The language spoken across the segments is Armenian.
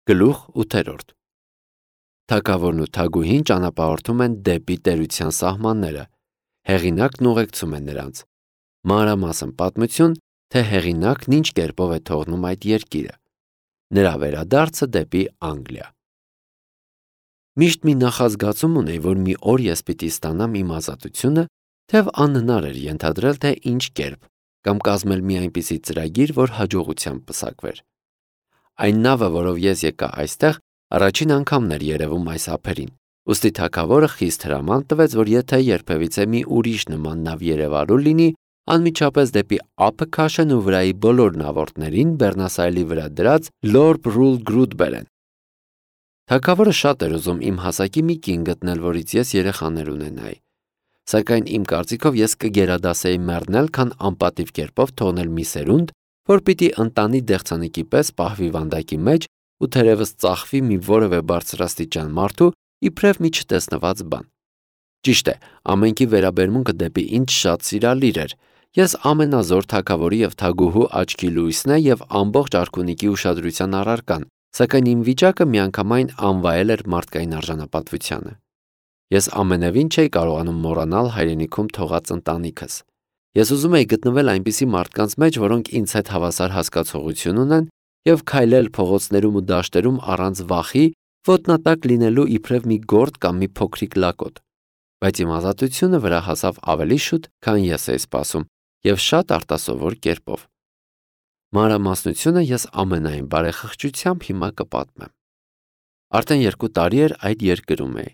Գլուխ 8. Թագավորն ու թագուհին ճանապարհորդում են դեպի տերության սահմանները, հեղինակն ուղեկցում է նրանց։ Մանրամասն պատմություն, թե հեղինակն ինչ կերպով է թողնում այդ երկիրը։ Նրա վերադարձը դեպի Անգլիա։ Միշտ մի նախազգացում ունեի, որ մի օր ես պիտի ստանամ իմ ազատությունը, թեև անհնար էր ենթադրել, թե ինչ կերպ, կամ կազմել մի այնպիսի ծրագիր, որ հաջողությամբ պսակվեր։ Այն նավը, որով ես եկա այստեղ, առաջին անգամն էր երևում այս ափերին, ուստի թագավորը խիստ հրաման տվեց, որ եթե երբևիցե մի ուրիշ նման նավ երևալու լինի, անմիջապես դեպի ափը քաշեն ու վրայի բոլոր նավորդներին Բեռնասայլի վրա դրած Lorp Rule Groot բերեն։ Թագավորը շատ էր ուզում իմ հասակի մի կին գտնել, որից ես երեխաներ ունենայի, սակայն իմ կարծիքով ես կգերադասեի մեռնել, քան անպատիվ կերպով թողնել մի սերունդ, որ պիտի ընտանի դեղցանիկի պես պահվի վանդակի մեջ ու թերևս ծախվի մի որևէ բարձրաստիճան մարդու իբրև մի չտեսնված բան։ Ճիշտ է, ամենքի վերաբերմունքը դեպի ինձ շատ սիրալիր էր։ Ես ամենազոր թագավորի և թագուհու աչքի լույսն է և ամբողջ արքունիքի ուշադրության առարկան, սակայն իմ վիճակը միանգամայն անվայել էր մարդկային արժանապատվությանը։ Ես ամենևին չէի կարողանում մոռանալ հայրենիքում թողած ընտանիքս։ Ես ուզում էի գտնվել այնպիսի մարդկանց մեջ, որոնք ինձ հետ հավասար հասկացողություն ունեն և քայլել փողոցներում ու դաշտերում առանց վախի, ոտնատակ լինելու իբրև մի գորդ կամ մի փոքրիկ լակոտ։ Բայց իմ ազատությունը վրա հասավ ավելի շուտ, քան ես էի սպասում, և շատ արտասովոր կերպով։ Մանրամասնությունը ես ամենայն բարեխղճությամբ հիմա կպատմեմ։ Արդեն 2 տարի էր այդ երկրում էի։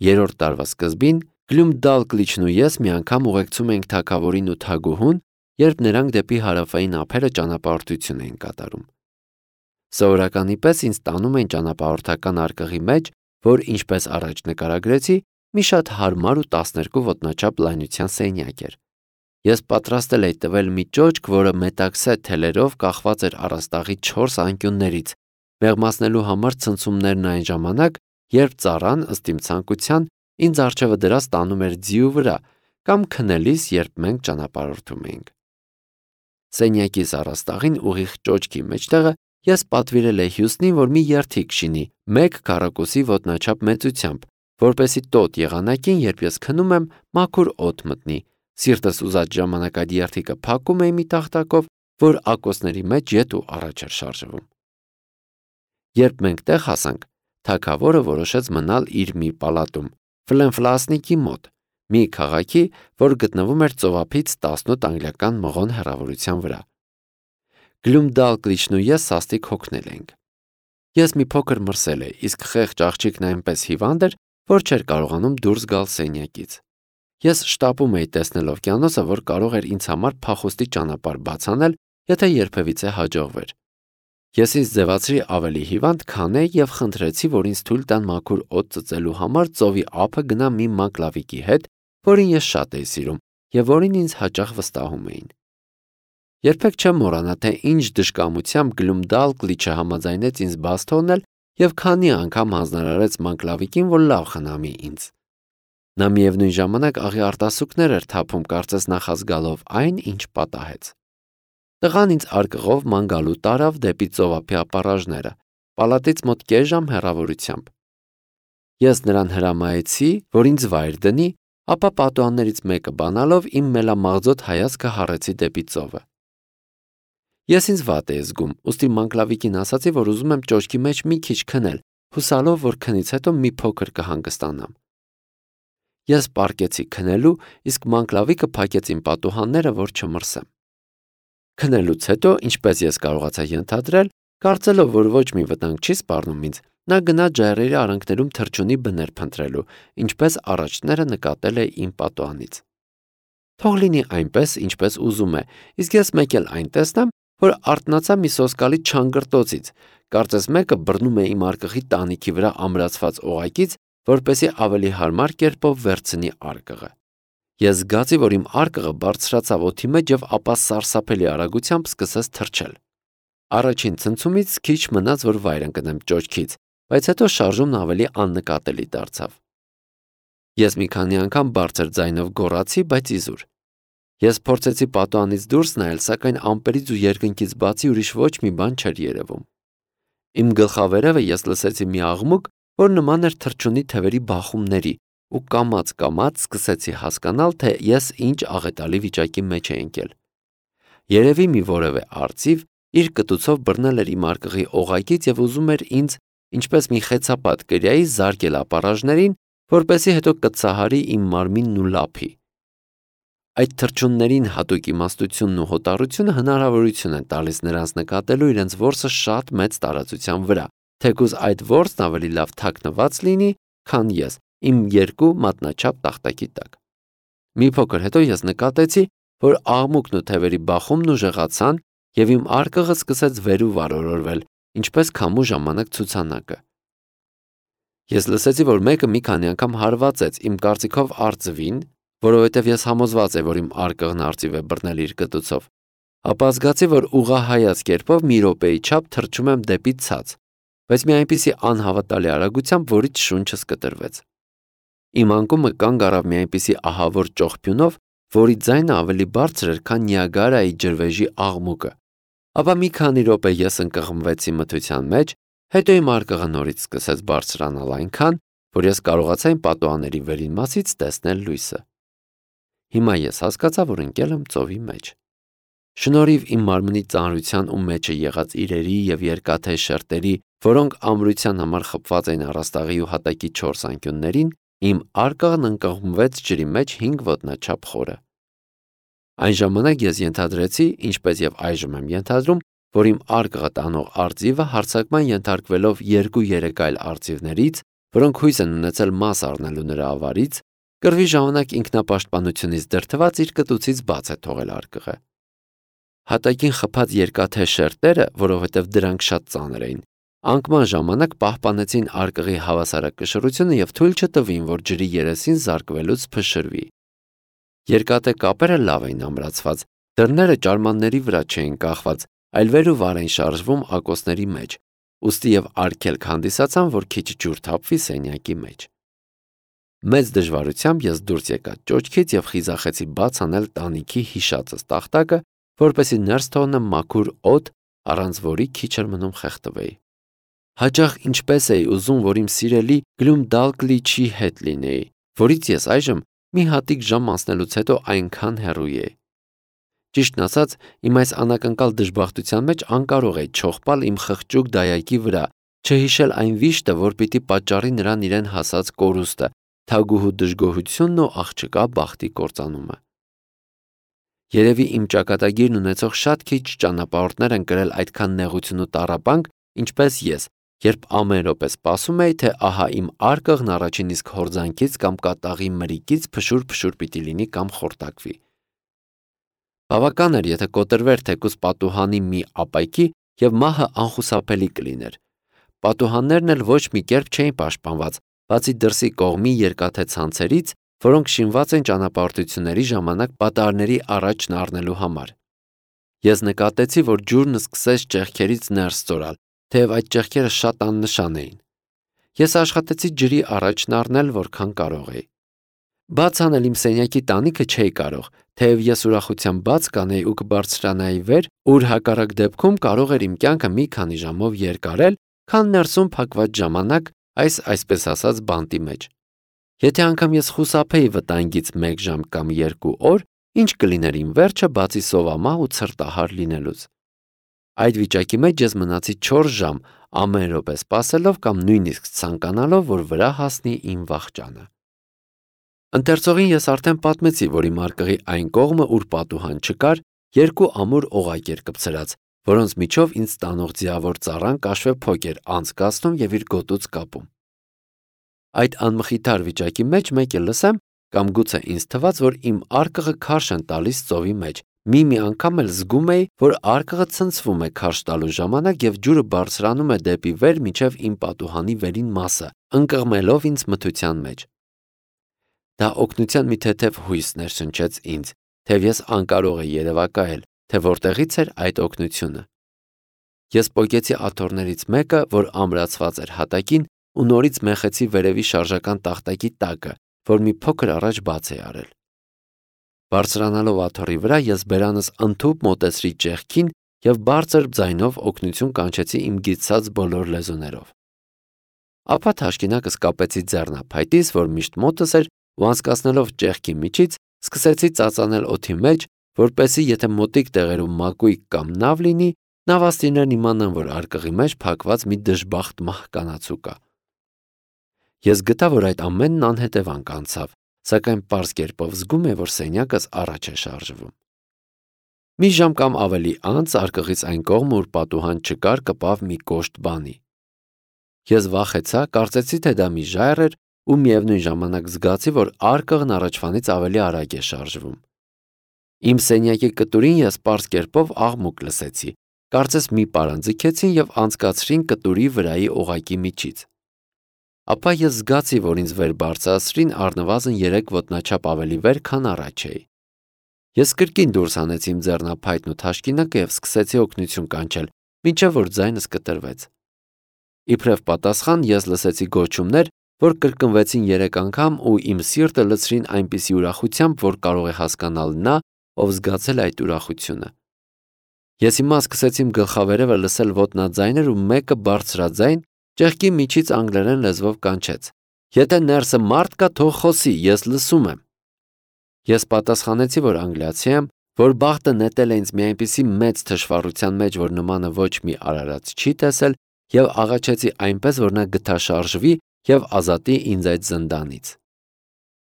3-րդ տարվա սկզբին Գլյումդալկլիչն ու ես մի անգամ ուղեկցում էինք թագավորին ու թագուհուն, երբ նրանք դեպի հարավային ափերը ճանապարհորդություն էին կատարում։ Սովորականի պես ինձ տանում էին ճանապարհորդական արկղի մեջ, որ, ինչպես առաջ նկարագրեցի, մի շատ հարմար ու 12 ոտնաչափ լայնության սենյակ էր։ Ես պատրաստել էի տվել մի ճոճք, որը մետաքսե թելերով կախված էր առաստաղի 4 անկյուններից, մեղմացնելու համար ցնցումներն այն ժամանակ, երբ ծառան, ըստ իմ ցանկության, ինձ առջևը դրած տանում էր ձիու վրա, կամ քնելիս, երբ մենք ճանապարհորդում էինք։ Սենյակիս առաստաղին ուղիղ ճոճքի մեջտեղը ես պատվիրել էի Հյուստնին, որ մի երթիք շինի 1 քառակուսի ոտնաչափ մեծությամբ, որպեսզի տոտ եղանակին, երբ ես քնում եմ, մաքուր օդ մտնի։ Սիրտս ուզած ժամանակ այդ երթիկը փակում էի մի տախտակով, որ ակոսների մեջ ետ ու առաջ էր շարժվում։ Երբ մենք տեղ հասանք, թագավորը որոշեց մնալ իր մի պալատում, Ֆլենֆլասնիկի մոտ, մի քաղաքի, որ գտնվում էր ծովափից 18 անգլիական մղոն հեռավորության վրա։ Գլյումդալկլիչն ու ես սաստիկ հոգնել էինք։ Ես մի փոքր մրսել էի, իսկ խեղճ աղջիկն այնպես հիվանդ էր, որ չէր կարողանում դուրս գալ սենյակից։ Ես շտապում էի տեսնել օվկիանոսը, որ կարող էր ինձ համար փախուստի ճանապարհ բաց անել, եթե երբևիցե հաջողվեր։ Ես ինձ ձևացրի ավելի հիվանդ, քան էի և խնդրեցի, որ ինձ թույլ տան մաքուր օդ ծծելու համար ծովի ափը գնամ մի մակլավիկի հետ, որին ես շատ էի սիրում և որին ինձ հաճախ վստահում էին։ Երբեք չեմ մոռանա, թե ինչ դժկամությամբ Գլյումդալկլիչը համաձայնեց ինձ բաց թողնել և քանի անգամ հանձնարարեց մակլավիկին, որ լավ խնամի ինձ։ Նա միևնույն ժամանակ աղի արտասուքներ էր թափում, կարծես նախազգալով այն, ինչ պատահեց։ Տղան ինձ արկղով ման գալու տարավ դեպի ծովափի ապառաժները, պալատից մոտ կես ժամ հեռավորությամբ։ Ես նրան հրամայեցի, որ ինձ վայր դնի, ապա պատուհաններից մեկը բանալով իմ մելամաղձոտ հայացքը հառեցի դեպի ծովը։ Ես ինձ վատ էի զգում, ուստի մանկլավիկին ասացի, որ ուզում եմ ճոճքի մեջ մի քիչ քնել, հուսալով, որ քնից հետո մի փոքր կհանգստանամ։ Ես պառկեցի քնելու, իսկ մանկլավիկը փակեց իմ պատուհանները, որ չմրսեմ։ Քնելուց հետո, ինչպես ես կարողացա ենթադրել, կարծելով, որ ոչ մի վտանգ չի սպառնում ինձ, նա գնաց ժայռերի արանքներում թռչունի բներ փնտրելու, ինչպես առաջները նկատել է իմ պատուհանից։ Թող լինի այնպես, ինչպես ուզում է, իսկ ես մեկ էլ այն տեսնեմ, որ արթնացա մի սոսկալի չանգրտոցից, կարծես մեկը բռնում է իմ արկղի տանիքի վրա ամրացված օղակից, որպեսզի ավելի հարմար կերպով վերցնի արկղը։ Ես զգացի, որ իմ արկղը բարձրացավ օդի մեջ և ապա սարսափելի արագությամբ սկսեց թռչել։ Առաջին ցնցումից քիչ մնաց, որ վայր ընկնեմ ճոճքից, բայց հետո շարժումն ավելի աննկատելի դարձավ։ Ես մի քանի անգամ բարձր ձայնով գոռացի, բայց իզուր։ Ես փորձեցի պատուհանից դուրս նայել, սակայն ամպերից ու երկնքից բացի ուրիշ ոչ մի բան չէր երևում։ Իմ գլխավերևը ես լսեցի մի աղմուկ, որ նման էր թռչունի թևերի բախումների, ու կամաց սկսեցի հասկանալ, թե ես ինչ աղետալի վիճակի մեջ էի ընկել։ Երևի մի որևէ արծիվ իր կտուցով բռնել էր իմ արկղի օղակից և ուզում էր ինձ, ինչպես մի խեցապատ կրիայի, զարկել ապառաժներին, որպեսզի հետո կծահարի իմ մարմինն ու լափի։ Այդ թռչուններին հատուկ իմաստությունն ու հոտառությունը հնարավորություն են տալիս նրանց նկատելու իրենց որսը շատ մեծ տարածության վրա, թեկուզ այդ որսն ավելի լավ թաքնված լինի, քան ես իմ երկու մատնաչափ տախտակի տակ։ Մի փոքր հետո ես նկատեցի, որ աղմուկն ու թևերի բախումն ուժեղացան և իմ արկղը սկսեց վեր ու վար օրորվել, ինչպես քամու ժամանակ ցուցանակը։ Ես լսեցի, որ մեկը մի քանի անգամ հարվածեց իմ կարծիքով արծվին, որովհետև ես համոզված էի, որ իմ արկղն արծիվ է բռնել իր կտուցով, ապա զգացի, որ ուղղահայաց կերպով մի րոպեի չափ թռչում եմ դեպի ցած, բայց մի այնպիսի անհավատալի արագությամբ, որից շունչս կտրվեց։ Իմ անկումը կանգ առավ մի այնպիսի ահավոր ճողփյունով, որի ձայնը ավելի բարձր էր, քան Նիագարայի ջրվեժի աղմուկը, ապա մի քանի րոպե ես ընկղմվեցի մթության մեջ, հետո իմ արկղը նորից սկսեց բարձրանալ այնքան, որ ես կարողացա իմ պատուհանների վերին մասից տեսնել լույսը։ Հիմա ես հասկացա, որ ընկել եմ ծովի մեջ։ Շնորհիվ իմ մարմնի ծանրության ու մեջը եղած իրերի և երկաթե շերտերի, որոնք ամրության համար խփված էին առաստաղի ու հատակի 4 անկյուններին, իմ արկղն ընկղմվեց ջրի մեջ 5 ոտնաչափ խորը։ Այն ժամանակ ես ենթադրեցի, ինչպես և այժմ եմ ենթադրում, որ իմ արկղը տանող արծիվը հարձակման ենթարկվելով 2-3 այլ արծիվներից, որոնք հույս են ունեցել մաս առնելու նրա ավարից, կռվի ժամանակ ինքնապաշտպանությունից դրդված իր կտուցից բաց է թողել արկղը։ Հատակին խփած երկաթե շերտերը, որովհետև դրանք շատ ծանր էին, անկման ժամանակ պահպանեցին արկղի հավասարակշռությունը և թույլ չտվին, որ ջրի երեսին զարկվելուց փշրվի։ Երկաթե կապերը լավ էին ամրացված, դռները ճարմանների վրա չէին կախված, այլ վեր ու վար էին շարժվում ակոսների մեջ, ուստի և արգելք հանդիսացան, որ քիչ ջուր թափվի սենյակի մեջ։ Մեծ դժվարությամբ ես դուրս եկա ճոճքից և խիզախեցի բաց անել տանիքի հիշածս տախտակը, որպեսզի ներս թողնեմ մաքուր օդ, առանց որի քիչ էր մնում խեղդվեի։ Հաճախ ինչպես էի ուզում, որ իմ սիրելի Գլումդալկլիչի հետ լինեի, որից ես այժմ մի հատիկ ժամ անցնելուց հետո այնքան հեռու էի։ Ճիշտն ասած, իմ այս անակնկալ դժբախտության մեջ անկարող էի չողպալ իմ խղճուկ դայակի վրա, չհիշել այն վիշտը, որ պիտի պատճառի նրան իրեն հասած կորուստը, թագուհու դժգոհությունն ու աղջկա բախտի կործանումը։ Երևի իմ ճակատագիրն ունեցող շատ քիչ ճանապարհորդներ են կրել այդքան նեղություն ու տառապանք, ինչպես ես, երբ ամեն րոպե սպասում էի, թե ահա իմ արկղն առաջին իսկ հորձանքից կամ կատաղի մրիկից փշուր պիտի լինի կամ խորտակվի։ Բավական էր, եթե կոտրվեր թեկուզ պատուհանի մի ապայքի և մահը անխուսափելի կլիներ։ Պատուհաններն էլ ոչ մի կերպ չէին պաշտպանված, բացի դրսի կողմի երկաթե ցանցերից, որոնք շինված են ճանապարհորդությունների ժամանակ պատահարների առաջն առնելու համար։ Ես նկատեցի, որ ջուրն սկսեց ճեղքերից ներս ծորալ, թեև այդ ճեղքերը շատ աննշան էին։ Ես աշխատեցի ջրի առաջն առնել, որքան կարող էի։ Բաց անել իմ սենյակի տանիքը չէի կարող, թեև ես ուրախությամբ բաց կանեի ու կբարձրանայի վեր, ուր հակառակ դեպքում կարող էր իմ կյանքը մի քանի ժամով երկարել, քան ներսում փակված ժամանակ այս այսպես ասած բանտի մեջ։ Եթե անգամ ես խուսափեի վտանգից 1 ժամ կամ 2 օր, ինչ կլիներ իմ վերջը, բացի սովամահ ու ցրտահար լինելուց։ Այդ վիճակի մեջ ես մնացի 4 ժամ, ամեն րոպե սպասելով կամ նույնիսկ ցանկանալով, որ վրա հասնի իմ վախճանը։ Ընթերցողին ես արդեն պատմեցի, որ իմ արկղի այն կողմը, ուր պատուհան չկար, 2 ամուր օղակ էր կպցրած, որոնց միջով ինձ տանող ձիավոր ծառան կաշվե փոք էր անցկացնում և իր գոտուց կապում։ Այդ անմխիթար վիճակի մեջ մեկ էլ լսեմ, կամ գուցե ինձ թվաց, որ իմ արկղը քարշ են տալիս ծովի մեջ։ Մի անգամ էլ զգում էի, որ արկղը ցնցվում է քարշ տալու ժամանակ և ջուրը բարձրանում է դեպի վեր մինչև իմ պատուհանի վերին մասը, ընկղմելով ինձ մթության մեջ։ Դա օգնության մի թեթև հույս ներշնչեց ինձ, թեև ես անկարող էի երևակայել, թե որտեղից էր այդ օգնությունը։ Ես պոկեցի աթոռներից մեկը, որ ամրացված էր հատակին, ու նորից մեխեցի վերևի շարժական տախտակի տակը, որ մի փոքր առաջ բաց էի արել։ Բարձրանալով աթոռի վրա, ես բերանս ընդհուպ մոտեցրի ճեղքին և բարձր ձայնով օգնություն կանչեցի իմ գիտցած բոլոր լեզուներով։ Ապա թաշկինակս կապեցի ձեռնափայտիս, որ միշտ մոտս էր, ու անցկացնելով ճեղքի միջից, սկսեցի ծածանել օդի մեջ, որպեսզի եթե մոտիկ տեղերում մակույկ կամ նավ լինի, նավաստիներն իմանան, որ արկղի մեջ փակված մի դժբախտ մահկանացու կա։ Ես գտա, որ այդ ամենն անհետևանք անցավ, սակայն պարզ կերպով զգում եմ, որ սենյակս առաջ է շարժվում։ Մի ժամ կամ ավելի անց արկղից այն կողմը, ուր պատուհան չկար, կպավ մի կոշտ բանի։ Ես վախեցա, կարծեցի, թե դա մի ժայռ էր, ու միևնույն ժամանակ զգացի, որ արկղն առաջվանից ավելի արագ է շարժվում։ Իմ սենյակի կտուրին ես պարզ կերպով աղմուկ լսեցի, կարծես մի պարան ձգեցին և անցկացրին կտուրի վրայի օղակի միջից։ Ապա ես զգացի, որ ինձ վեր բարձրացրին առնվազն 3 ոտնաչափ ավելի վեր, քան առաջ էի։ Ես կրկին դուրս հանեցի իմ ձեռնափայտն ու թաշկինակը և սկսեցի օգնություն կանչել, մինչև որ ձայնս կտրվեց։ Իբրև պատասխան ես լսեցի գոչումներ, որ կրկնվեցին 3 անգամ ու իմ սիրտը լցրին այնպիսի ուրախությամբ, որ կարող է հասկանալ նա, ով զգացել այդ ուրախությունը։ Ես հիմա սկսեցի իմ գլխավերևը լսել ոտնաձայներ ու մեկը բարձրաձայն ճեղքի միջից անգլերեն լեզվով կանչեց. «Եթե ներսը մարդ կա, թող խոսի, ես լսում եմ»։ Ես պատասխանեցի, որ անգլիացի եմ, որ բախտը նետել է ինձ մի այնպիսի մեծ թշվառության մեջ, որ նմանը ոչ մի արարած չի տեսել, և աղաչեցի այնպես, որ նա գթաշարժվի և ազատի ինձ այդ զնդանից։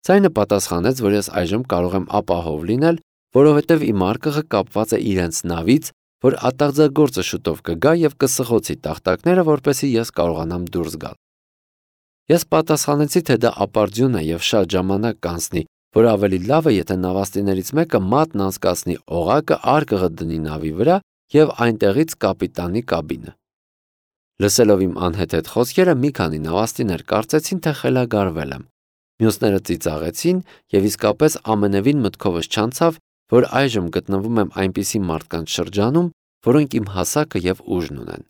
Ձայնը պատասխանեց, որ ես այժմ կարող եմ ապահով լինել, որովհետև իմ արկղը կապված է իրենց նավից, որ ատաղձագործը շուտով կգա և կսղոցի տախտակները, որպեսզի ես կարողանամ դուրս գալ։ Ես պատասխանեցի, թե դա ապարդյուն է և շատ ժամանակ կանցնի, որ ավելի լավ է, եթե նավաստիներից մեկը մատն անցկացնի օղակը, արկղը դնի նավի վրա և այնտեղից կապիտանի կաբինը։ Լսելով իմ անհեթեթ խոսքերը, մի քանի նավաստիներ կարծեցին, թե խելագարվել եմ։ Մյուսները ծիծաղեցին և իսկապես ամենևին մտքովս չանցավ, որ այժմ գտնվում եմ այնպիսի մարդկանց շրջանում, որոնք իմ հասակը և ուժն ունեն։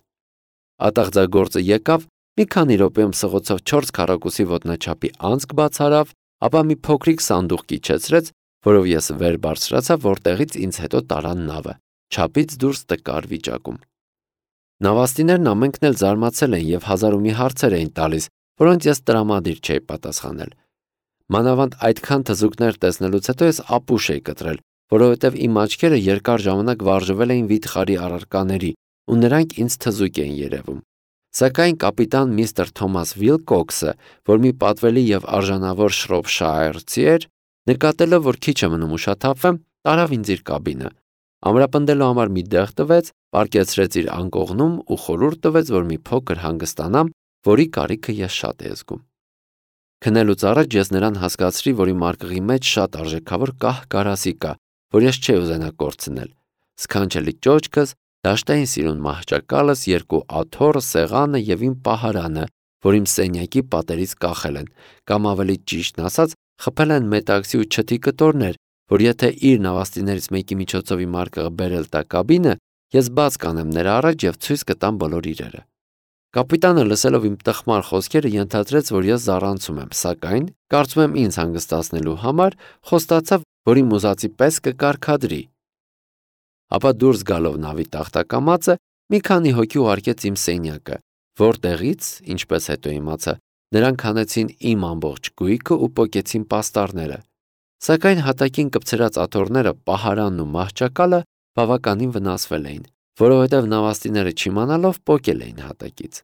Ատաղձագործը եկավ, մի քանի րոպեում սղոցով 4 քառակուսի ոտնաչափի անցք բացարավ, ապա մի փոքրիկ սանդուղք իջեցրեց, որով ես վեր բարձրացա, որտեղից ինձ հետո տարան նավը, չափից դուրս տկար վիճակում։ Նավաստիներն ամենքն էլ զարմացել էին և հազար ու մի հարցեր էին տալիս, որոնց ես տրամադիր չէի պատասխանել։ Մանավանդ այդքան թզուկներ տեսնելուց հետո ես ապուշ էի կտրել, որովհետև իմ աչքերը երկար ժամանակ վարժվել էին վիթխարի առարկաների, ու նրանք ինձ թզուկ էին երևում։ Սակայն կապիտան միստր Թոմաս Վիլկոքսը, որ մի պատվելի և արժանավոր շրոփշայրցի էր, նկատելով, որ քիչ է մնում ուշաթափվեմ, տարավ ինձ իր կաբինը, ամրապնդելու համար մի տեղ տվեց, պառկեցրեց իր անկողնում ու խորհուրդ տվեց, որ մի փոքր հանգստանամ, որի կարիքը ես շատ էի զգում։ Քնելուց առաջ ես նրան հասկացրի, որ իմ արկղի մեջ շատ արժեքավոր կահ կարասի կա, որ ես չէի ուզենա կորցնել։ Սքանչելի ճոճքս, դաշտային սիրուն մահճակալս, 2 աթոռը, սեղանը և իմ պահարանը, որ իմ սենյակի պատերից կախել են, կամ ավելի ճիշտն ասած, խփել են մետաքսի ու չթի կտորներ, որ եթե իր նավաստիներից մեկի միջոցով իմ արկղը բերել տա կաբինը, ես բաց կանեմ նրա առաջ և ցույց կտամ բոլոր իրերը։ Կապիտանը լսելով իմ տխմար խոսքերը ենթադրեց, որ ես զառանցում եմ, սակայն, կարծում եմ ինձ հանգստացնելու համար, խոստացավ, որ իմ ուզածի պես կկարգադրի։ Ապա դուրս գալով նավի տախտակամածը, մի քանի հոգի ուղարկեց իմ սենյակը, որտեղից, ինչպես հետո իմացա, նրանք հանեցին իմ ամբողջ գույքը ու պոկեցին պաստառները։ Սակայն հատակին կպցրած աթոռները, պահարանն ու մահճակալը բավականին վնասվել էին, որովհետև նավաստիները չիմանալով պոկել էին հատակից։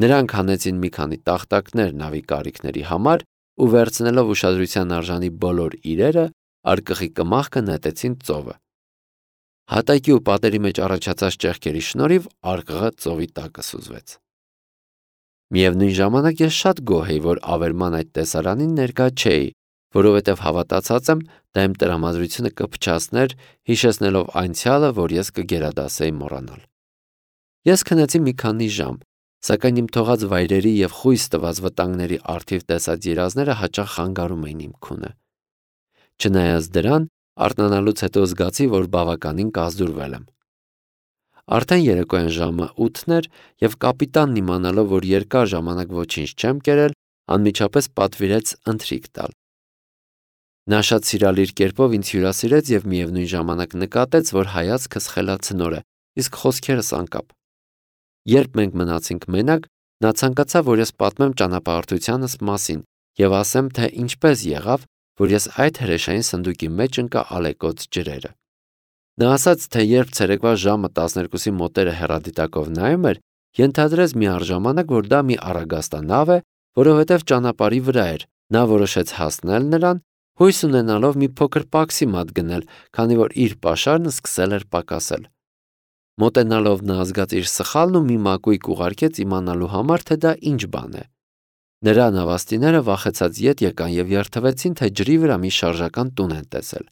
Նրանք հանեցին մի քանի տախտակներ նավի կարիքների համար ու վերցնելով ուշադրության արժանի բոլոր իրերը, արկղի կմախքը նետեցին ծովը։ Հատակի ու պատերի մեջ առաջացած ճեղքերի շնորհիվ արկղը ծովի տակը սուզվեց։ Միևնույն ժամանակ ես շատ գոհ էի, որ ավերման այդ տեսարանին ներկա չէի, որովհետև հավատացած եմ, դա իմ տրամադրությունը կփչացներ, հիշեցնելով անցյալը, որ ես կգերադասեի մոռանալ։ Ես քնեցի մի քանի ժամ, սակայն իմ թողած վայրերի և խույս տված վտանգների առթիվ տեսած երազները հաճախ խանգարում էին իմ քունը։ Չնայած դրան, արթնանալուց հետո զգացի, որ բավականին կազդուրվել եմ։ Արդեն երեկոյան ժամը 8-ն էր, և կապիտանն իմանալով, որ երկար ժամանակ ոչինչ չեմ կերել, անմիջապես պատվիրեց ընթրիք տալ։ Նա շատ սիրալիր կերպով ինձ հյուրասիրեց և միևնույն ժամանակ նկատեց, որ հայացքս խելացնոր է, իսկ խոսքերս անկապ։ Երբ մենք մնացինք մենակ, նա ցանկացավ, որ ես պատմեմ ճանապարհորդությանս մասին և ասեմ, թե ինչպես եղավ, որ ես այդ հրեշային սնդուկի մեջ ընկա ալեկոծ ջրերը։ Նա ասաց, թե երբ ցերեկվա ժամը 12-ի մոտերը հեռադիտակով նայում էր, ենթադրեց միառժամանակ, որ դա մի առագաստանավ է, որովհետև ճանապարհի վրա էր։ Նա որոշեց հասնել նրան, հույս ունենալով մի փոքր պաքսիմատ գնել, քանի որ իր պաշարն սկսել էր պակասել։ Մոտենալով նա զգաց իր սխալն ու մի մակույկ ուղարկեց իմանալու համար, թե դա ինչ բան է։ Նրա նավաստիները վախեցած ետ եկան և երդվեցին, թե ջրի վրա մի շարժական տուն են տեսել։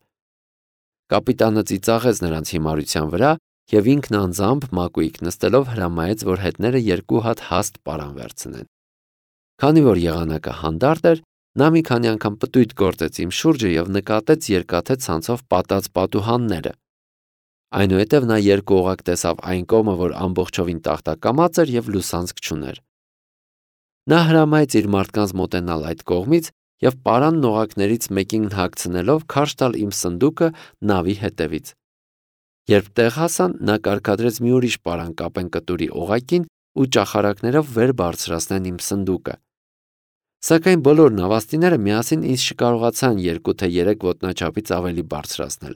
Կապիտանը ծիծաղեց նրանց հիմարության վրա և ինքն անձամբ մակույկ նստելով հրամայեց, որ հետները 2 հատ հաստ պարան վերցնեն։ Քանի որ եղանակը հանդարտ էր, նա մի քանի անգամ պտույտ գործեց իմ շուրջը և նկատեց երկաթե ցանցով պատած պատուհանները։ Այնուհետև նա երկուօղակ տեսավ այն կողմը, որ ամբողջովին տախտակամած էր և լուսանցք չուներ։ Նա հրամայեց իր մարդկանց մոտենալ այդ կողմից և պարանն օղակներից մեկին հագցնելով քարշ տալ իմ սնդուկը նավի հետևից։ Երբ տեղ հասան, նա կարգադրեց մի ուրիշ պարան կապեն կտուրի օղակին ու ճախարակներով վեր բարձրացնեն իմ սնդուկը։ Սակայն բոլոր նավաստիները միասին ինձ չկարողացան 2 թե 3 ոտնաչափից ավելի բարձրացնել։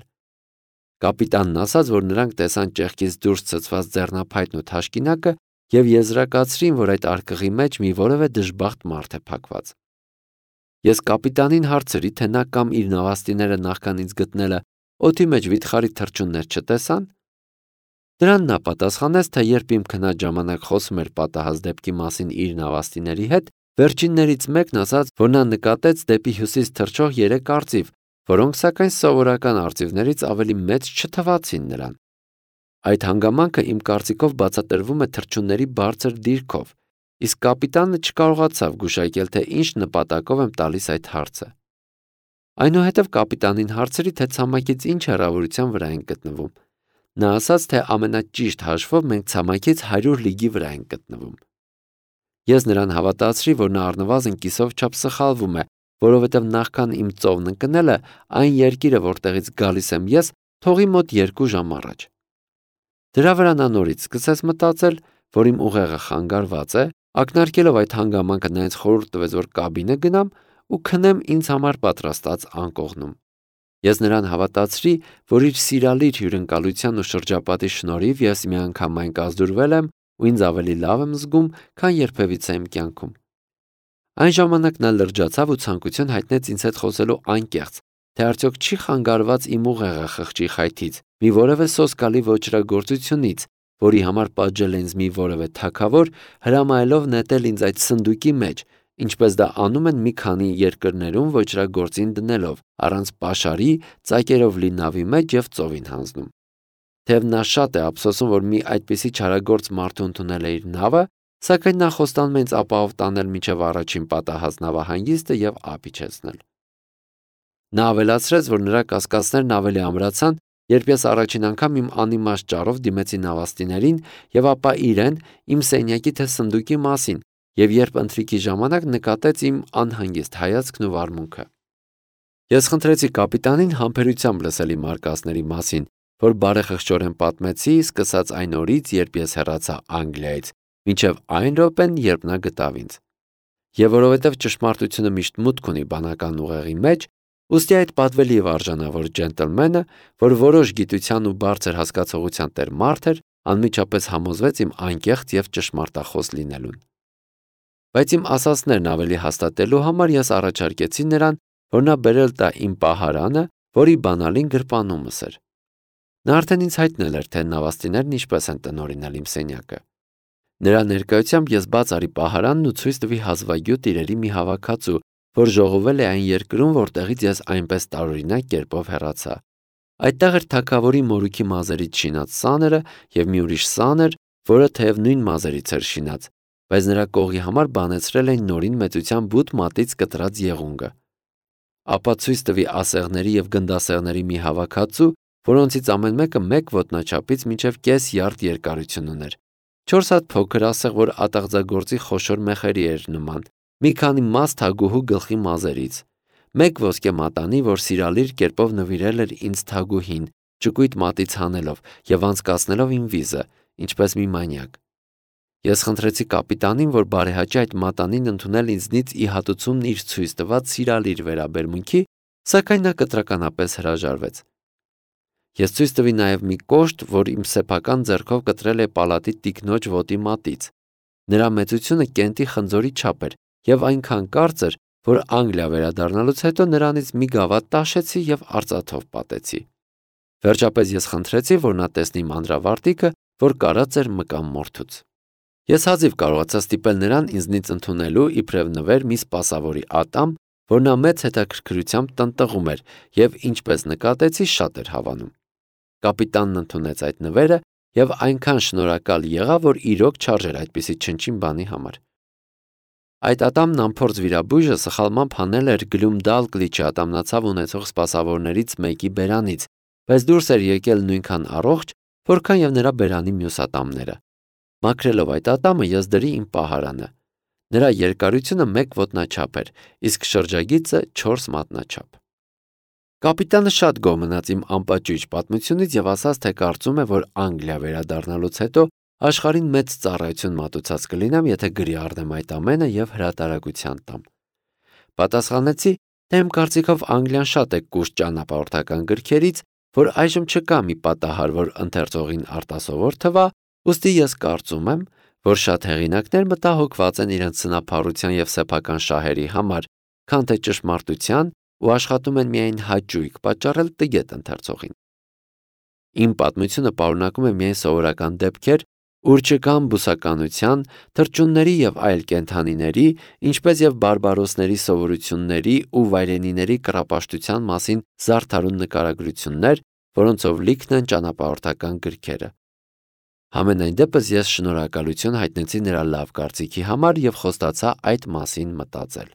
Կապիտանն ասաց, որ նրանք տեսան ճեղքից դուրս ցցված ձեռնափայտն ու թաշկինակը և եզրակացրին, որ այդ արկղի մեջ մի որևէ դժբախտ մարդ է փակված։ Ես կապիտանին հարցրի, թե նա կամ իր նավաստիները նախքան ինձ գտնելը օդի մեջ վիթխարի թռչուններ չտեսան։ Դրան նա պատասխանեց, թե երբ իմ քնած ժամանակ խոսում էր պատահած դեպքի մասին իր նավաստիների հետ, վերջիններից մեկն ասաց, որ նա նկատեց դեպի հյուսիս թռչող 3 արծիվ, որոնք սակայն սովորական արծիվներից ավելի մեծ չթվացին նրան։ Այդ հանգամանքը իմ կարծիքով բացատրվում է թռչունների բարձր դիրքով, իսկ կապիտանը չկարողացավ գուշակել, թե ինչ նպատակով եմ տալիս այդ հարցը։ Այնուհետև կապիտանին հարցրի, թե ցամաքից ինչ հեռավորության վրա ենք գտնվում։ Նա ասաց, թե ամենաճիշտ հաշվով մենք ցամաքից 100 լիգի վրա ենք գտնվում։ Ես նրան հավատացրի, որ նա առնվազն կիսով չափ սխալվում է, որովհետև նախքան իմ ծովն ընկնելը, այն երկիրը, որտեղից գալիս եմ ես, թողի մոտ 2 ժամ առաջ։ Դրա վրա նա նորից սկսեց մտածել, որ իմ ուղեղը խանգարված է, ակնարկելով այդ հանգամանքը նա ինձ խորհուրդ տվեց, որ կաբինը գնամ ու քնեմ ինձ համար պատրաստած անկողնում։ Ես նրան հավատացրի, որ իր սիրալիր հյուրընկալության ու շրջապատի շնորհիվ ես միանգամայն կազդուրվել եմ ու ինձ ավելի լավ եմ զգում, քան երբևիցե իմ կյանքում։ Այն ժամանակ նա լրջացավ ու ցանկություն հայտնեց ինձ հետ խոսելու անկեղծ, թե արդյոք չի խանգարված իմ ուղեղը խղճի խայթից, մի որևէ սոսկալի ոճրագործությունից, որի համար պատժել է ինձ մի որևէ թագավոր, հրամայելով նետել ինձ այդ սնդուկի մեջ, ինչպես դա անում են մի քանի երկրներում ոճրագործին դնելով, առանց պաշարի, ծակերով լի նավի մեջ և ծովին հանձնում։ Թեև նա շատ է ափսոսում, որ մի այդպիսի չարագործ մարդու ընդունել է իր նավը, սակայն նա խոստանում է ինձ ապահով տանել մինչև առաջին պատահած նավահանգիստը և ափիչեցնել։ Նա ավելացրեց, որ նրա կասկածներն ավելի ամրացան, երբ ես առաջին անգամ իմ անիմաստ ճառով դիմեցի նավաստիներին և ապա իրեն իմ սենյակի թե սնդուկի մասին, և երբ ընթրիքի ժամանակ նկատեց իմ անհանգիստ հայացքն ու վարմունքը։ Ես խնդրեցի կապիտանին համբերությամբ լսել իմ արկածների մասին, որ բարեխղճորեն պատմեցի, սկսած այն օրից, երբ ես հեռացա Անգլիայից, մինչև այն րոպեն, երբ նա գտավ ինձ։ Եվ որովհետև ճշմարտությունը միշտ մուտք ունի բանական ուղեղի մեջ, ուստի այդ պատվելի և արժանավոր ջենտլմենը, որ որոշ գիտության ու բարձր հասկացողության տեր մարդ էր, անմիջապես համոզվեց իմ անկեղծ և ճշմարտախոս լինելուն։ Բայց իմ ասածներն ավելի հաստատելու համար ես առաջարկեցի նրան, որ նա բերել տա իմ պահարանը, որի բանալին գրպանումս էր։ Նա արդեն ինձ հայտնել էր, թե նավաստիներն ինչպես են տնօրինել իմ սենյակը։ Նրա ներկայությամբ ես բաց արի պահարանն ու ցույց տվի հազվագյուտ իրերի մի հավաքածու, որ ժողովել է այն երկրում, որտեղից ես այնպես տարօրինակ կերպով հեռացա։ Այդտեղ էր թագավորի մորուքի մազերից շինած սաները և մի ուրիշ սաներ, որը թեև նույն մազերից էր շինած, բայց նրա կողի համար բանեցրել էին նորին մեծության բութ մատից կտրած եղունգը։ Ապա ցույց տվի ասեղների և գնդասեղների մի հավաքածու, որոնցից ամեն մեկը 1 ոտնաչափից մինչև կես յարդ երկարություն ուներ, 4 հատ փոքր ասեղ, որ ատաղձագործի խոշոր մեխերի էր նման, մի քանի մաս թագուհու գլխի մազերից, մեկ ոսկե մատանի, որ սիրալիր կերպով նվիրել էր ինձ թագուհին, ճկույտ մատից հանելով եւ անցկացնելով իմ վիզը, ինչպես մի մանյակ։ Ես խնդրեցի կապիտանին, որ բարեհաճի այդ մատանին ընդունել ինձնից ի հատուցումն իր ցույց տված սիրալիր վերաբերմունքի, սակայն նա կտրականապես հրաժարվեց։ Ես ցույց տվի նաև մի կոշտ, որ իմ սեփական ձեռքով կտրել է պալատի տիկնոջ ոտի մատից։ Նրա մեծությունը կենտի խնձորի չափ էր եւ այնքան կարծր, որ Անգլիա վերադառնալուց հետո նրանից մի գավաթ տաշեցի եւ արծաթով պատեցի։ Վերջապես ես խնդրեցի, որ նա տեսնի մանրավարտիքը, որ կարած էր մկան մորթուց։ Ես հազիվ կարողացա ստիպել նրան ինձնից ընդունելու իբրև նվեր մի սպասավորի ատամ, որ նա մեծ հետաքրքրությամբ տնտղում էր եւ ինչպես նկատեցի շատ էր հավանում։ Կապիտանն ընդունեց այդ նվերը եւ այնքան շնորհակալ եղավ, որ իրոք չարժեր այդպիսի չնչին բանի համար։ Այդ ատամն անփորձ վիրաբույժը սխալմամբ հանել էր Գլումդալկլիչի ատամնացավ ունեցող սպասավորներից մեկի բերանից, բայց դուրս էր եկել նույնքան առողջ, որքան եւ նրա բերանի մյուս ատամները։ Մաքրելով այդ ատամը ես դրի իմ պահարանը։ Նրա երկարությունը 1 ոտնաչափ էր, իսկ շրջագիծը 4 մատնաչափ։ Կապիտանը շատ գոհ մնաց իմ անպաճույճ պատմությունից եւ ասաց, թե կարծում է, որ Անգլիա վերադառնալուց հետո աշխարհին մեծ ծառայություն մատուցած կլինեմ, եթե գրի առնեմ այդ ամենը եւ հրատարակության տամ։ Պատասխանեցի, թե իմ կարծիքով Անգլիան շատ է կուշտ ճանապարհորդական գրքերից, որ այժմ չկա մի պատահար, որ ընթերցողին արտասովոր թվա, ուստի ես կարծում եմ, որ շատ հեղինակներ մտահոգված են իրենց սնափառության եւ սեփական շահերի համար, քան թե ճշմարտության ու աշխատում են միայն հաճույք պատճառել տգետ ընթերցողին։ Իմ պատմությունը պարունակում է միայն սովորական դեպքեր, ուր չկան բուսականության, թռչունների եւ այլ կենդանիների, ինչպես եւ բարբարոսների սովորությունների ու վայրենիների կռապաշտության մասին զարդարուն նկարագրություններ, որոնցով լիքն են ճանապարհորդական գրքերը։ Համենայն դեպս ես շնորհակալություն հայտնեցի նրա լավ կարծիքի համար եւ խոստացա այդ մասին մտածել։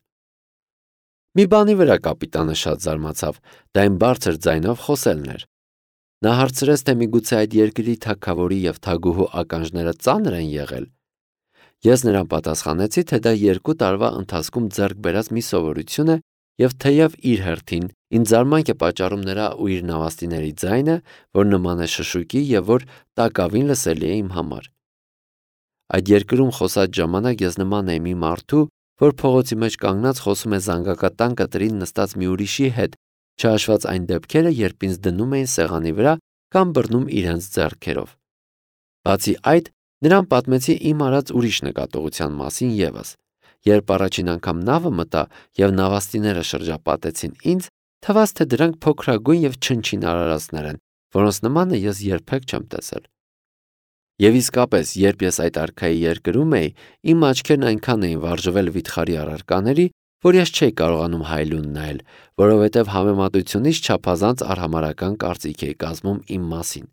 Մի բանի վրա կապիտանը շատ զարմացավ, դա իմ բարձր ձայնով խոսելն էր։ Նա հարցրեց, թե միգուցե այդ երկրի թագավորի եւ թագուհու ականջները ծանր են եղել։ Ես նրան պատասխանեցի, թե դա 2 տարվա ընթացքում ձեռք բերած մի սովորություն է եւ թեև իր հերթին ինձ զարմանք է պատճառում նրա ու իր նավաստիների ձայնը, որ նման է շշուկի եւ որ տակավին լսելի է իմ համար։ Այդ երկրում խոսած ժամանակ ես նման եմ մի մարդու, որ փողոցի մեջ կանգնած խոսում է զանգակատան կտրին նստած մի ուրիշի հետ, չհաշված այն դեպքերը, երբ ինձ դնում էին սեղանի վրա կամ բռնում իրենց ձեռքերով։ Բացի այդ, նրան պատմեցի իմ արած ուրիշ նկատողության մասին եւս։ Երբ առաջին անգամ նավը մտա եւ նավաստիները շրջապատեցին ինձ, թվաց, թե դրանք փոքրագույն եւ չնչին արարածներ են, որոնց նմանը ես երբեք չեմ տեսել։ Եվ իսկապես, երբ ես այդ արքայի երկրում էի, իմ աչքերն այնքան էին վարժվել վիթխարի առարկաների, որ ես չէի կարողանում հայլուն նայել, որովհետև համեմատությունից չափազանց արհամարհական կարծիք էի կազմում իմ մասին։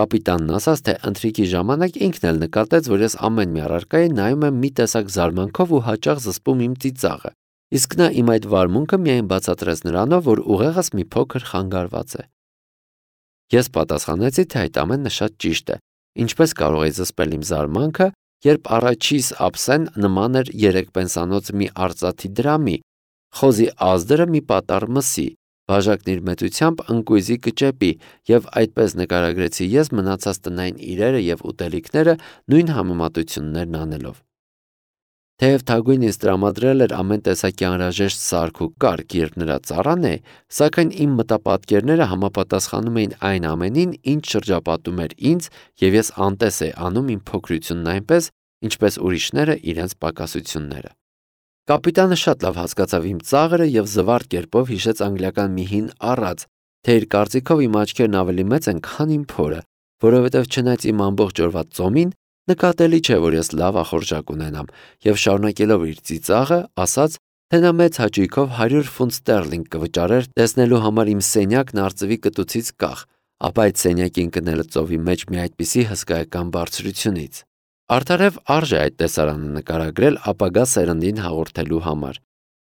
Կապիտանն ասաց, թե ընթրիքի ժամանակ ինքն էլ նկատեց, որ ես ամեն մի առարկայի նայում եմ մի տեսակ զարմանքով ու հաճախ զսպում իմ ծիծաղը, իսկ նա իմ այդ վարմունքը միայն բացատրեց նրանով, որ ուղեղս մի փոքր խանգարված է։ Ես պատասխանեցի, թե այդ ամենը շատ ճիշտ է, ինչպես կարող էի զսպել իմ զարմանքը, երբ առաջիս ափսեն նման էր 3 պենսանոց մի արծաթի դրամի, խոզի ազդրը մի պատառ մսի, բաժակն իր մեծությամբ ընկույզի կճեպի եւ այդպես նկարագրեցի ես մնացած տնային իրերը եւ ուտելիքները նույն համեմատություններն անելով։ Թեև թագուհին ինձ տրամադրել էր ամեն տեսակի անհրաժեշտ սարք ու կարգ, երբ նրա ծառան է, սակայն իմ մտապատկերները համապատասխանում էին այն ամենին, ինչ շրջապատում էր ինձ, եւ ես անտես էի անում իմ փոքրությունն այնպես, ինչպես ուրիշները իրենց պակասությունները։ Կապիտանը շատ լավ հասկացավ իմ ծաղրը եւ զվարթ կերպով հիշեց անգլիական մի հին առած, թե իր կարծիքով իմ աչքերն ավելի մեծ են, քան իմ փորը, որովհետեւ չնայած իմ ամբողջ օրվա ծոմին նկատելի չէ, որ ես լավ ախորժակ ունենամ, եւ շարունակելով իր ծիծաղը, ասաց, թե նա մեծ հաճույքով 100 ֆունտ ստերլինգ կվճարեր տեսնելու համար իմ սենյակն արծվի կտուցից կախ, ապա այդ սենյակին կնելը ծովի մեջ մի այդպիսի հսկայական բարձրությունից։ Արդարև արժե այդ տեսարանը նկարագրել ապագա սերնդին հաղորդելու համար։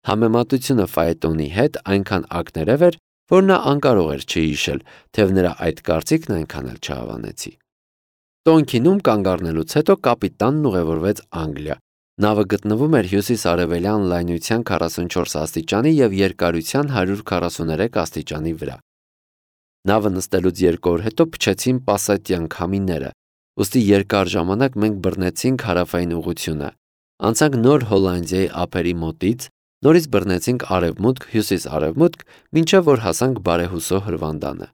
Համեմատությունը ֆայետոնի հետ այնքան ակներև էր, որ նա անկարող էր չհիշել, թեև նրա այդ կարծիքն այնքան էլ չհավանեցի։ Տոնքինում կանգ առնելուց հետո կապիտանն ուղևորվեց Անգլիա, Նավը գտնվում էր հյուսիս-արևելյան լայնության 44 աստիճանի և երկարության 143 աստիճանի վրա։ Նավը նստելուց 2 օր հետո փչեցին պասատյան քամիները, ուստի երկար ժամանակ մենք բռնեցինք հարավային ուղղությունը, անցանք Նոր Հոլանդիայի ափերի մոտից, նորից բռնեցինք արևմուտք, հյուսիս-արևմուտք, մինչև որ հասանք բարեհուսո հրվանդանը։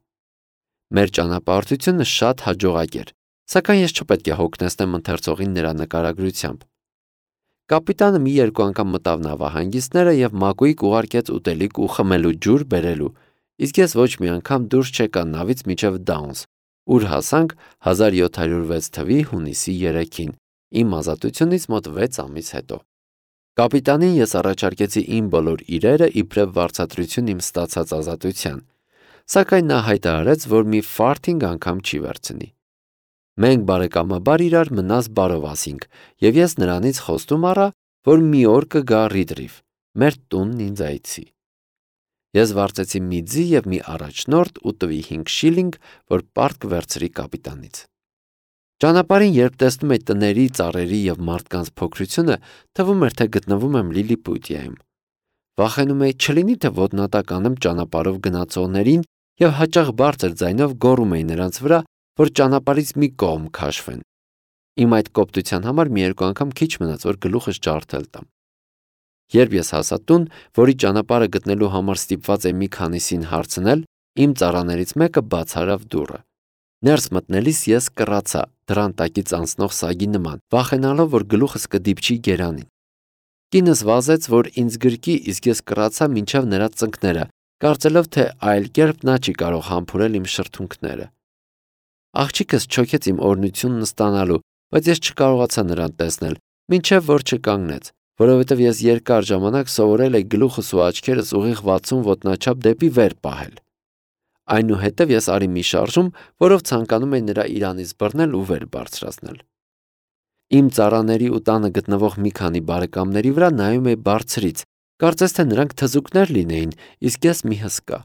Մեր ճանապարհորդությունը շատ հաջողակ էր, սակայն ես չպետք է հոգնեցնեմ ընթերցողին նրա նկարագրությամբ։ Կապիտանը մի երկու անգամ մտավ նավահանգիստները և մակույկ ուղարկեց ուտելիք ու խմելու ջուր բերելու, իսկ ես ոչ մի անգամ դուրս չեկա նավից մինչև Դաունս, ուր հասանք 1706 թվականի հունիսի 3-ին, իմ ազատությունից մոտ 6 ամիս հետո։ Կապիտանին ես առաջարկեցի իմ բոլոր իրերը իբրև վարձատրություն իմ ստացած ազատության, սակայն նա հայտարարեց, որ մի ֆարթինգ անգամ չի վերցնի։ Մենք բարեկամաբար իրար մնաս բարով ասինք, և ես նրանից խոստում առա, որ մի օր կգա Ռիդրիֆ, մեր տունն ինձ այցի։ Ես վարձեցի մի ձի և մի առաջնորդ ու տվի 5 շիլինգ, որ պարտք վերցրի կապիտանից։ Ճանապարհին, երբ տեսնում էի տների, ծառերի և մարդկանց փոքրությունը, թվում էր, թե գտնվում եմ Լիլիպուտիայում։ Վախենում էի չլինի, թե ոտնատակ անեմ ճանապարհով գնացողներին և հաճախ բարձր ձայնով գոռում էի նրանց վրա, որ ճանապարհից մի կողմ քաշվեն։ Իմ այդ կոպտության համար մի երկու անգամ քիչ մնաց, որ գլուխս ջարդել տամ։ Երբ ես հասա տուն, որի ճանապարհը գտնելու համար ստիպված էի մի քանիսին հարցնել, իմ ծառաներից մեկը բաց արավ դուռը։ Ներս մտնելիս ես կռացա դռան տակից անցնող սագի նման, վախենալով, որ գլուխս կդիպչի գերանին։ Կինս վազեց, որ ինձ գրկի, իսկ ես կռացա մինչև նրա ծնկները, կարծելով, թե այլ կերպ նա չի կարող համբուրել իմ շրթունքները։ Աղջիկս չոքեց իմ օրհնությունն ստանալու, բայց ես չկարողացա նրան տեսնել, մինչև որ չկանգնեց, որովհետև ես երկար ժամանակ սովորել էի գլուխս ու աչքերս ուղիղ 60 ոտնաչափ դեպի վեր պահել։ Այնուհետև ես արի մի շարժում, որով ցանկանում էի նրա իրանից բռնել ու վեր բարձրացնել։ Իմ ծառաների ու տանը գտնվող մի քանի բարեկամների վրա նայում էի բարձրից, կարծես թե նրանք թզուկներ լինեին, իսկ ես մի հսկա։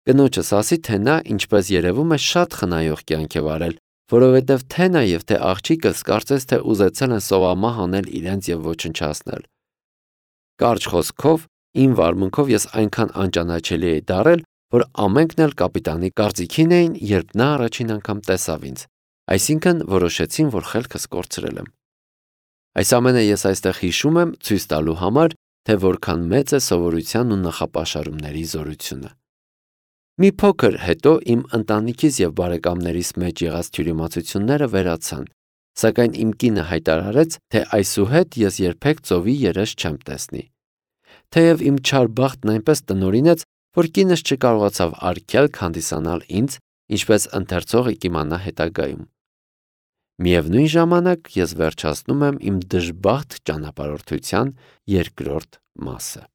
Կնոջս ասի, թե նա, ինչպես երևում է, շատ խնայող կյանք է վարել, որովհետև թե նա և թե աղջիկս կարծես թե ուզեցել են սովամահ անել իրենց և ոչնչացնել։ Կարճ խոսքով, իմ վարմունքով ես այնքան անճանաչելի էի դառել, որ ամենքն էլ կապիտանի կարծիքին էին, երբ նա առաջին անգամ տեսավ ինձ, այսինքն որոշեցին, որ խելքս կորցրել եմ։ Այս ամենը ես այստեղ հիշում եմ ցույց տալու համար, թե որքան մեծ է սովորության ու նախապաշարումների զորությունը։ Մի փոքր հետո իմ ընտանիքիս և բարեկամներիս մեջ եղած թյուրիմացությունները վերացան, սակայն իմ կինը հայտարարեց, թե այսուհետ ես երբեք ծովի երես չեմ տեսնի։ Թեև իմ չար բախտն այնպես տնօրինեց, որ կինս չկարողացավ արգելք հանդիսանալ ինձ, ինչպես ընթերցողը կիմանա հետագայում։ Միևնույն ժամանակ ես վերջացնում եմ իմ դժբախտ ճանապարհորդության երկրորդ մասը։